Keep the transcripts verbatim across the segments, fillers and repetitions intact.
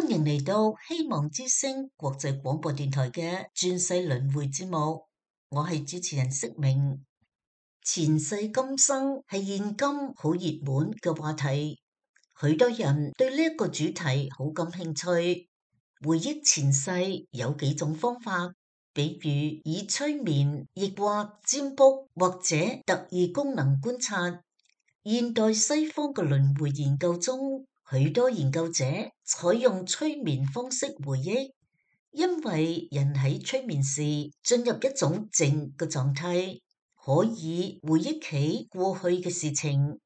歡迎嚟到希望之聲國際廣播電台嘅轉世輪迴節目，我係主持人釋明。前世今生係現今好熱門嘅話題，許多人對呢一個主題好感興趣。回憶前世有幾種方法，比如以催眠、易卦、占卜或者特異功能觀察。現代西方嘅輪迴研究中，許多研究者採用催眠方式回憶，因為人喺催眠時進入一種靜嘅狀態，可以回憶起過去嘅事情。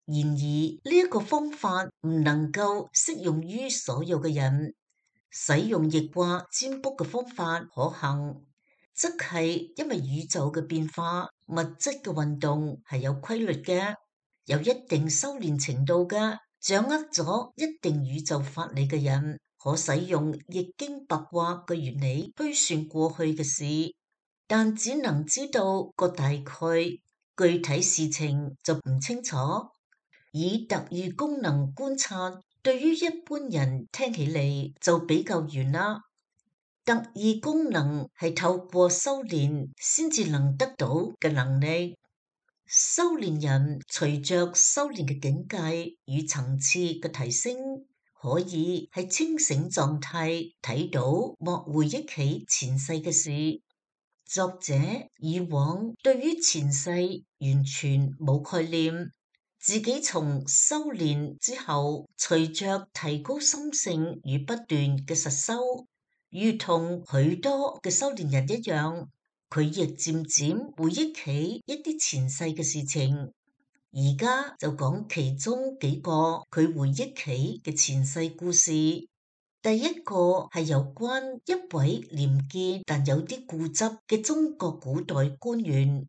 然而呢一個方法唔能夠適用於所有嘅人。使用易卦占卜嘅方法可行，則係因為宇宙嘅變化、物質嘅運動係有規律嘅，有一定修煉程度嘅，掌握咗一定宇宙法理嘅人，可使用易經八卦嘅原理推算過去嘅事，但只能知道個大概，具體事情就唔清楚。以特異功能觀察，對於一般人聽起嚟就比較遠啦。特異功能係透過修煉先至能得到嘅能力。修煉人隨着修煉嘅境界與層次嘅提升，可以喺清醒狀態睇到或回憶起前世嘅事。作者以往對於前世完全冇概念。自己從修煉之後，隨着提高心性與不斷嘅實修，如同許多嘅修煉人一樣，佢亦漸漸回憶起一啲前世嘅事情。而家就講其中幾個佢回憶起嘅前世故事。第一個係有關一位廉潔但有啲固執嘅中國古代官員。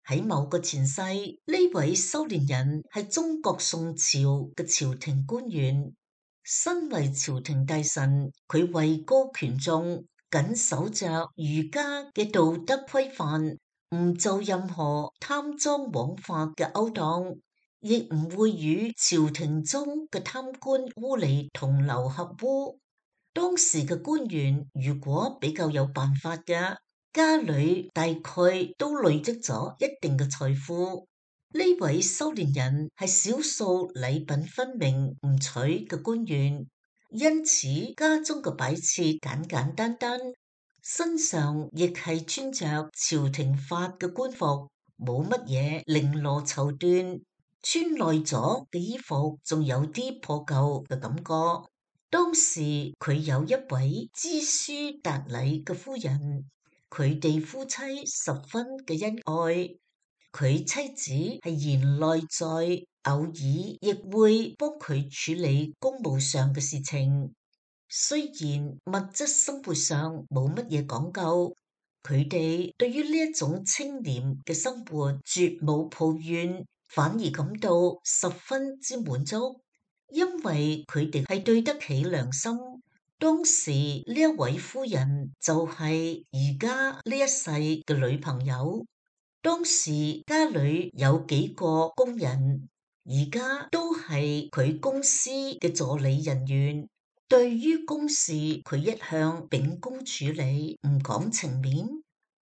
喺某個前世，呢位修煉人係中國宋朝嘅朝廷官員，身為朝廷大臣，佢位高權重，謹守着儒家嘅道德規範，唔做任何貪贓枉法嘅勾當，亦唔會與朝廷中嘅貪官污吏同流合污。當時嘅官員如果比較有辦法嘅，家裏大概都累積咗一定嘅財富。呢位修煉人係少數禮品分明唔取嘅官員，因此家中嘅擺設簡簡單單，身上亦係穿着朝廷發嘅官服，冇乜嘢綾羅綢緞，穿耐咗嘅衣服仲有啲破舊嘅感覺。當時佢有一位知書達理嘅夫人。佢哋夫妻十分嘅恩愛，佢妻子係賢內在，偶爾亦會幫佢處理公務上嘅事情。雖然物質生活上冇乜嘢講究，佢哋對於呢一種清廉嘅生活絕冇抱怨，反而感到十分之滿足，因為佢哋係對得起良心。當時呢一位夫人就係而家呢一世嘅女朋友。當時家裏有幾個工人，而家都係佢公司嘅助理人員。對於公事，佢一向秉公處理，唔講情面。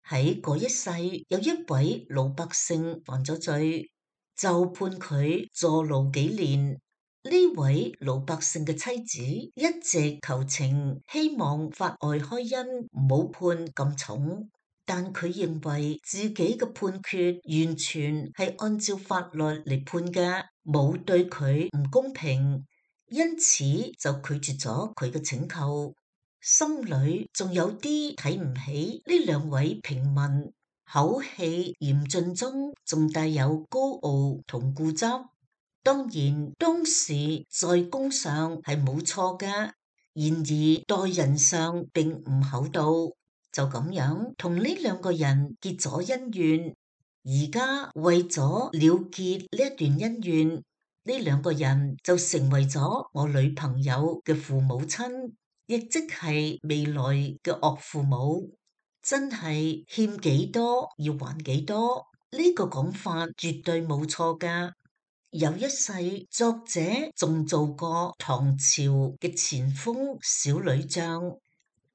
喺嗰一世，有一位老百姓犯咗罪，就判佢坐牢幾年。呢位老百姓嘅妻子一直求情，希望法外開恩，唔好判咁重。但佢認為自己嘅判決完全係按照法律嚟判嘅，冇對佢唔公平，因此就拒絕咗佢嘅請求。心裏仲有啲睇唔起呢兩位平民，口氣嚴峻中仲帶有高傲同固執。當然，當時在公上係冇錯嘅，然而待人上並唔厚道，就咁樣同呢兩個人結咗恩怨。而家為咗了，了結呢一段恩怨，呢兩個人就成為咗我女朋友嘅父母親，亦即係未來嘅岳父母。真係欠幾多要還幾多，呢個講法絕對冇錯㗎。有一世，作者仲做過唐朝嘅前鋒小女將。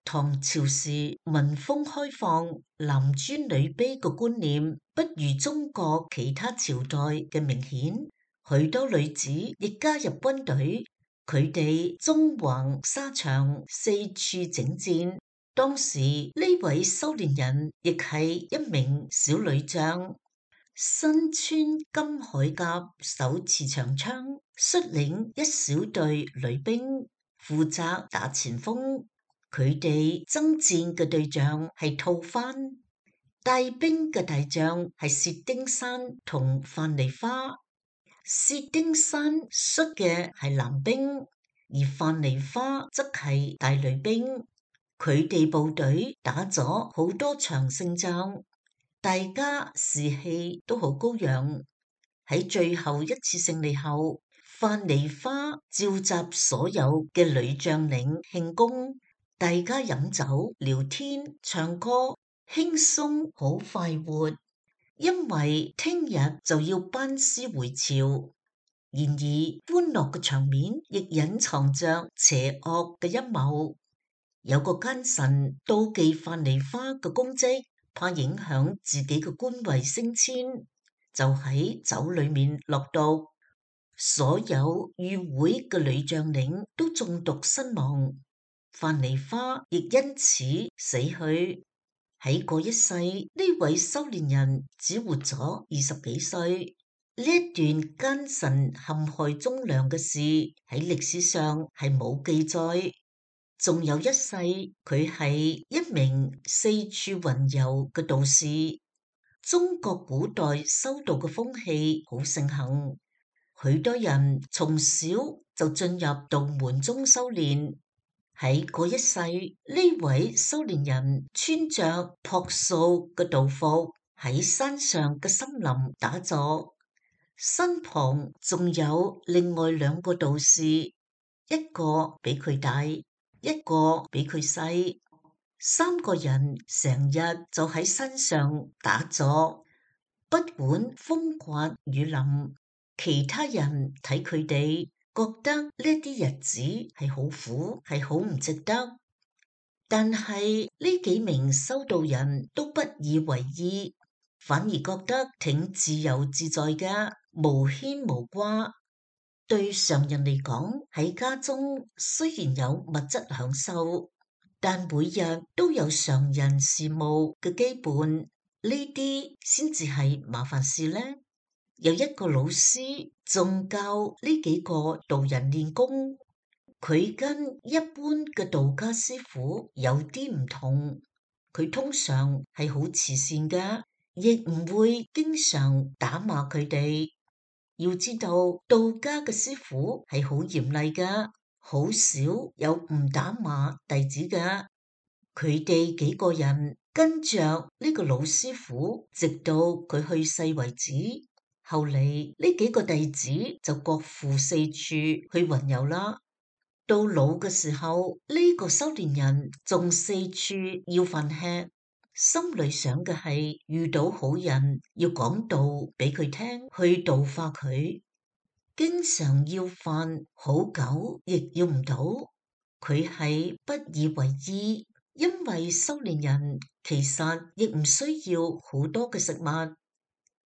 唐朝時民風開放，男尊女卑嘅觀念不如中國其他朝代嘅明顯，許多女子亦加入軍隊，佢哋縱橫沙場，四處征戰。當時呢位修煉人亦係一名小女將，身穿金鎧甲，手持長槍，率領一小隊女兵，負責打前鋒。佢哋征戰嘅對象係吐蕃，帶兵嘅大將係薛丁山同樊梨花。薛丁山率嘅係男兵，而樊梨花則係大女兵。佢哋部隊打咗好多場勝仗，大家士氣都好高揚。喺最後一次勝利後，樊梨花召集所有嘅女將領慶功。大家飲酒、聊天、唱歌，輕鬆好快活。因為聽日就要班師回朝，然而歡樂嘅場面亦隱藏着邪惡嘅陰謀。有個奸臣妒忌樊梨花嘅功績，怕影響自己嘅官位升遷，就喺酒裏面落毒，所有與會嘅女將領都中毒身亡。樊梨花亦因此死去。喺嗰一世，呢位修煉人只活咗二十幾歲。呢一段奸臣陷害忠良嘅事喺歷史上係冇記載。仲有一世，佢係一名四處雲遊嘅道士。中國古代修道嘅風氣好盛行，許多人從小就進入道門中修煉。喺嗰一世，呢位修煉人穿着樸素嘅道服，喺山上嘅森林打坐，身旁仲有另外兩個道士，一個比佢大，一個比佢細，三個人成日就喺山上打坐，不管風刮雨淋。其他人睇佢哋，覺得呢啲日子係好苦，係好唔值得。但係呢幾名修道人都不以為意，反而覺得挺自由自在嘅，無牽無掛。對常人嚟講，喺家中雖然有物質享受，但每日都有常人事務嘅羈絆，呢啲先至係麻煩事呢。有一個老師仲教呢幾個道人練功，佢跟一般嘅道家師傅有啲唔同，佢通常係好慈善嘅，亦唔會經常打罵佢哋。要知道，道家嘅師傅係好嚴厲嘅，好少有唔打罵弟子嘅。佢哋幾個人跟着呢個老師傅，直到佢去世為止。後嚟呢幾個弟子就各赴四處去雲遊啦。到老嘅時候，呢、這個修煉人仲四處要飯吃，心裏想嘅係遇到好人要講道俾佢聽，去度化佢。經常要飯，好久亦要唔到，佢係不以為意，因為修煉人其實亦唔需要好多嘅食物。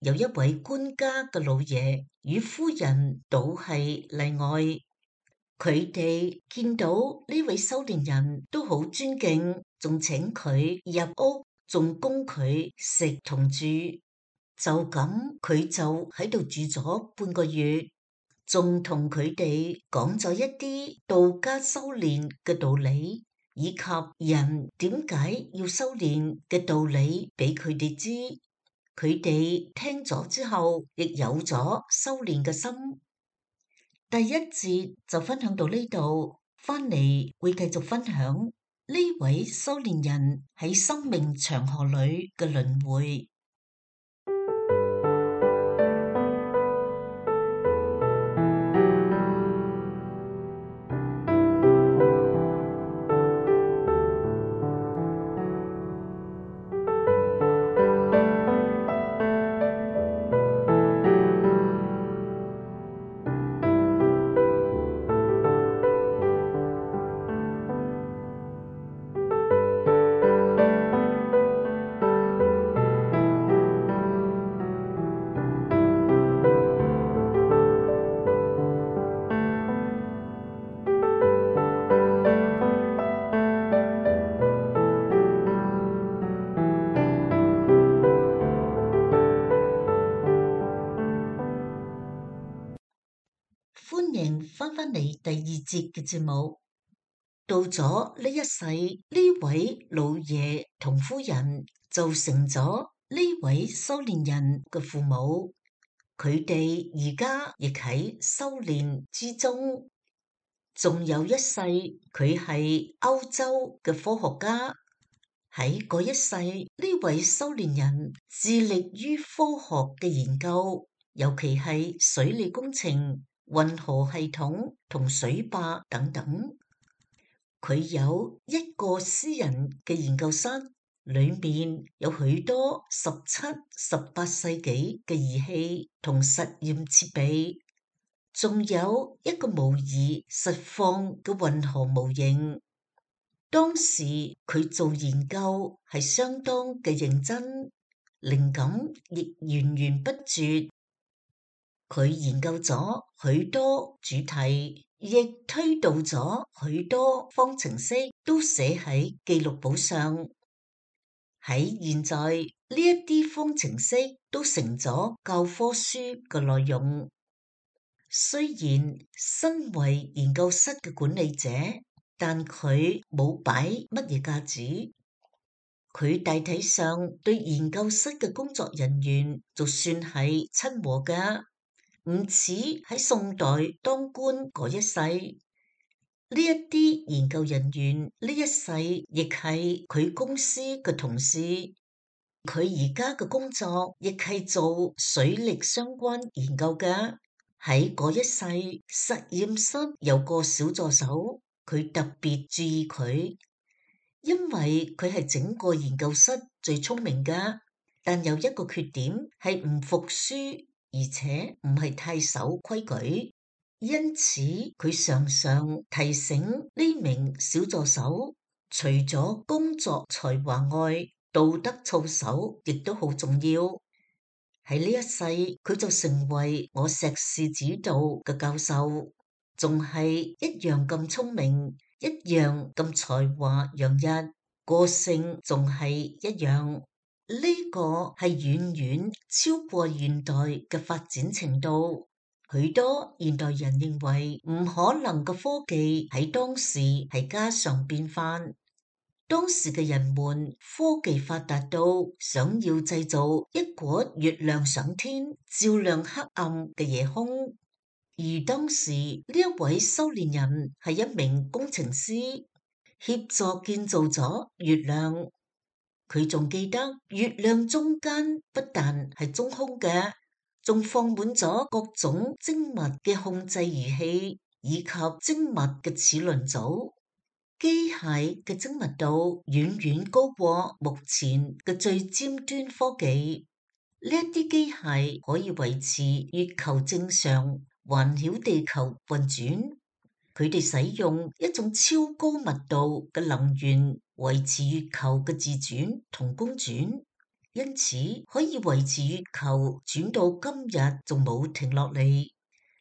有一位官家嘅老爺與夫人倒係例外，佢哋見到呢位修煉人都好尊敬，仲請佢入屋，仲供佢食同住。就咁佢就喺度住咗半個月，仲同佢哋講咗一啲道家修煉嘅道理，以及人點解要修煉嘅道理俾佢哋知。佢哋聽咗之後，亦有咗修煉嘅心。第一節就分享到呢度，翻嚟會繼續分享呢位修煉人喺生命長河裏嘅輪迴。歡迎翻返嚟第二節嘅節目。到咗呢一世，呢位老爺同夫人就成咗呢位修煉人嘅父母，佢哋而家亦喺修煉之中。仲有一世，佢係歐洲嘅科學家。喺嗰一世，呢位修煉人致力於科學嘅研究，尤其係水利工程、運河系統同水壩等等。佢有一個私人嘅研究室，裏面有許多十七、十八世紀嘅儀器同實驗設備，仲有一個模擬實況嘅運河模型。當時佢做研究係相當嘅認真，靈感亦源源不絕。佢研究咗許多主題，亦推導咗許多方程式，都寫喺記錄簿上。喺現在呢一啲方程式都成咗教科書嘅內容。雖然身為研究室嘅管理者，但佢冇擺乜嘢架子，佢大體上對研究室嘅工作人員就算係親和㗎，唔似喺宋代當官嗰一世。呢一啲研究人員呢一世亦係佢公司嘅同事，佢而家嘅工作亦係做水力相關研究㗎。喺嗰一世，實驗室有個小助手。佢特別注意佢，因為佢係整個研究室最聰明㗎，但有一個缺點係唔服輸，而且唔係太守規矩。因此佢常常提醒呢名小助手，除咗工作才華外，道德操守亦都好重要。喺呢一世，佢就成為我碩士指導嘅教授。仲係一樣咁聰明，一樣咁才華洋溢，個性仲係一樣。呢個係遠遠超過現代嘅發展程度。許多現代人認為唔可能嘅科技喺當時係家常便飯。當時嘅人們科技發達到想要製造一顆月亮上天，照亮黑暗嘅夜空。而當時呢一位修煉人係一名工程師，協助建造咗月亮。佢仲記得月亮中間不但係中空嘅，仲放滿咗各種精密嘅控制儀器，以及精密嘅齒輪組。機械嘅精密度遠遠高過目前嘅最尖端科技。呢一啲機械可以維持月球正常環繞地球運轉，佢哋使用一種超高密度嘅能源維持月球嘅自轉同公轉，因此可以維持月球轉到今日仲冇停落嚟。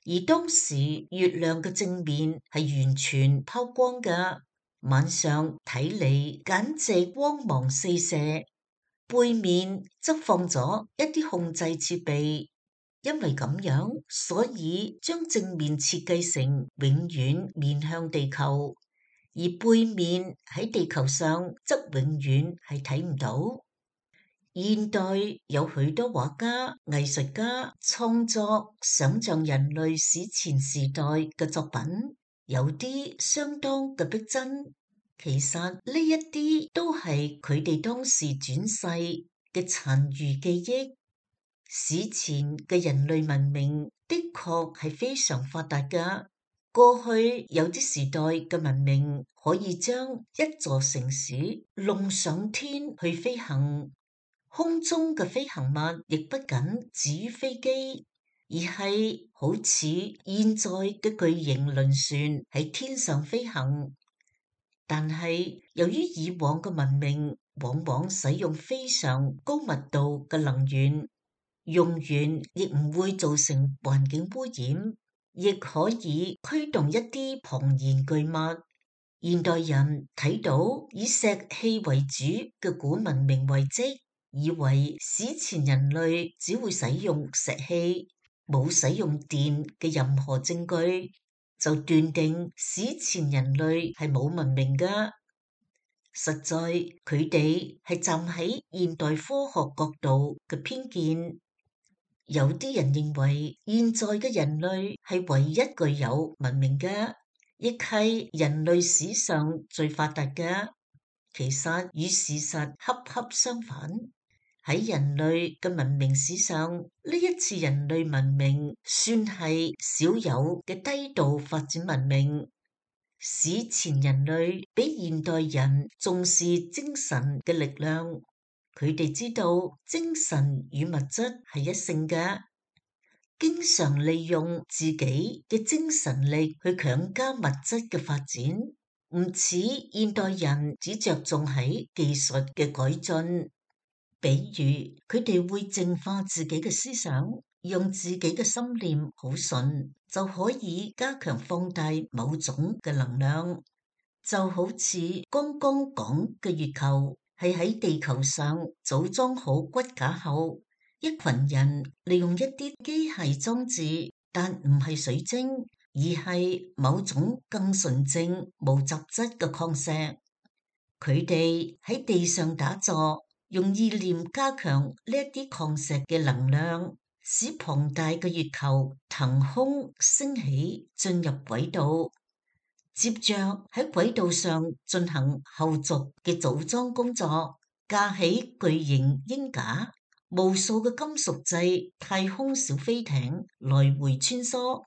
而當時月亮嘅正面係完全拋光㗎，晚上睇嚟簡直光芒四射，背面則放咗一啲控制設備。因為咁樣，所以將正面設計成永遠面向地球，而背面喺地球上則永遠係睇唔到。現代有許多畫家、藝術家創作想像人類史前時代嘅作品，有啲相當嘅逼真。其實呢一啲都係佢哋當時轉世嘅殘餘記憶。史前嘅人類文明的確係非常發達㗎。過去有啲時代嘅文明可以將一座城市弄上天去飛行，空中嘅飛行物亦不僅止於飛機，而係好似現在嘅巨型輪船喺天上飛行。但係由於以往嘅文明往往使用非常高密度嘅能源，用完亦唔會造成環境污染，亦可以驅動一啲龐然巨物。現代人睇到以石器為主嘅古文明遺跡，以為史前人類只會使用石器，冇使用電嘅任何證據，就斷定史前人類係冇文明㗎。實在佢哋係站喺現代科學角度嘅偏見。有啲人認為現在嘅人類係唯一具有文明嘅，亦係人類史上最發達嘅。其實與事實恰恰相反。喺人類嘅文明史上，呢一次人類文明算係少有嘅低度發展文明。史前人類比現代人重視精神嘅力量，佢哋知道精神與物質係一性嘅，經常利用自己嘅精神力去強加物質嘅發展，唔似現代人只着重喺技術嘅改進。比如佢哋會淨化自己嘅思想，用自己嘅心念好順，就可以加強放大某種嘅能量。就好似剛剛講嘅月球係喺地球上組裝好骨架後，一群人利用一啲機械裝置，但唔係水晶，而係某種更純正無雜質嘅礦石。佢哋喺地上打坐，用意念加強呢一啲礦石嘅能量，使龐大嘅月球騰空升起，進入軌道。接着喺軌道上進行後續嘅組裝工作，架起巨型鷹架，無數嘅金屬製太空小飛艇來回穿梭。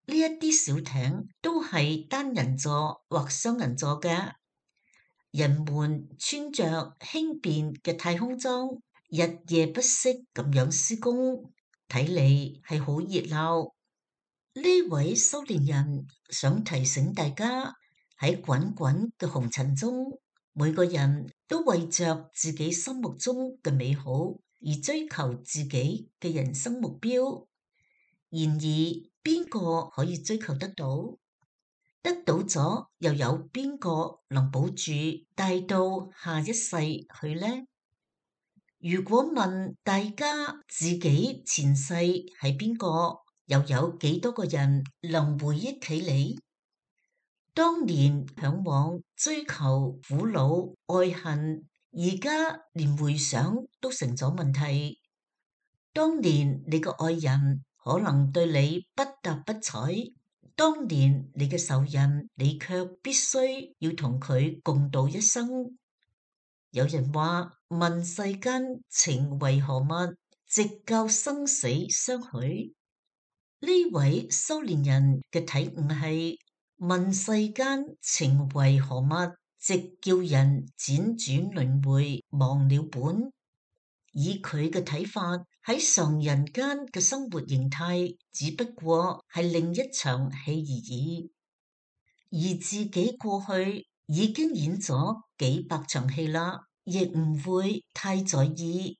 呢一啲小艇都係單人座或雙人座嘅。人們穿着輕便嘅太空裝，日夜不息咁樣施工，睇嚟係好熱鬧。呢位修煉人想提醒大家，喺滾滾嘅紅塵中，每個人都為着自己心目中嘅美好而追求自己嘅人生目標。然而，邊個可以追求得到？得到咗，又有邊個能保住帶到下一世去呢？如果問大家自己前世係邊個，又有幾多個人能回憶起嚟？當年向往追求苦惱愛恨，而家連回想都成咗問題。當年你個愛人可能對你不搭不睬，當年你嘅仇人，你卻必須要同佢共度一生。有人話：問世間情為何物，直教生死相許。呢位修煉人嘅體悟係：問世間情為何物，直叫人輾轉輪迴忘了本。以佢嘅睇法，喺常人間嘅生活形態只不過係另一場戲而已，而自己過去已經演咗幾百場戲啦，亦唔會太在意。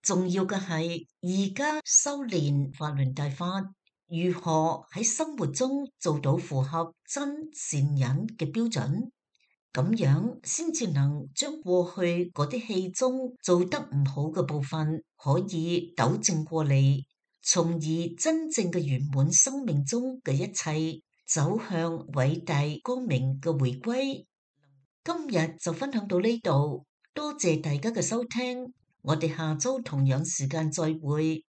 重要嘅係而家修煉法輪大法，如何喺生活中做到符合真善忍嘅標準。咁樣先至能將過去嗰啲戲中做得唔好嘅部分可以糾正過嚟，從而真正嘅圓滿生命中嘅一切走向偉大光明嘅回歸。今日就分享到呢度，多謝大家嘅收聽，我哋下周同樣時間再會。